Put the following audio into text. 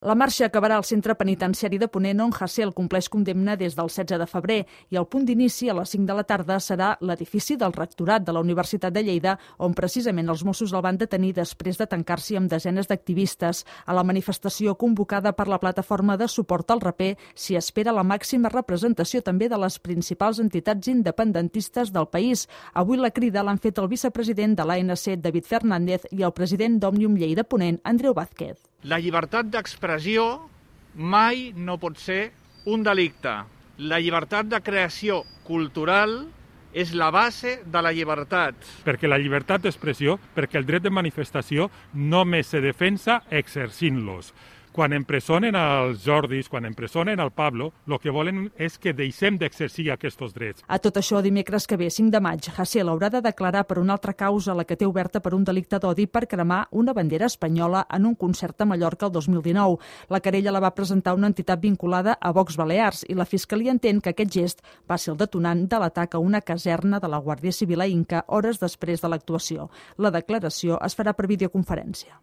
La marxa acabarà al centre penitenciari de Ponent, on Hasél compleix condemna des del 16 de febrer, i el punt d'inici a les 5 de la tarda serà l'edifici del rectorat de la Universitat de Lleida, on precisament els Mossos el van detenir després de tancar-s'hi amb desenes d'activistes. A la manifestació convocada per la plataforma de suport al raper s'hi espera la màxima representació també de les principals entitats independentistes del país. Avui la crida l'han fet el vicepresident de l'ANC, David Fernández, i el president d'Òmnium Lleida Ponent, Andreu Vázquez. La llibertat d'expressió mai no pot ser un delicte. La llibertat de creació cultural és la base de la llibertat. Perquè la llibertat d'expressió, perquè el dret de manifestació només se defensa exercint-los. Quan empresonen els Jordis, quan empresonen el Pablo, el que volen és que deixem d'exercir aquests drets. A tot això, dimecres que ve, 5 de maig, Hasél haurà de declarar per una altra causa, la que té oberta per un delicte d'odi per cremar una bandera espanyola en un concert a Mallorca el 2019. La querella la va presentar una entitat vinculada a Vox Balears i la Fiscalia entén que aquest gest va ser el detonant de l'atac a una caserna de la Guàrdia Civil a Inca hores després de l'actuació. La declaració es farà per videoconferència.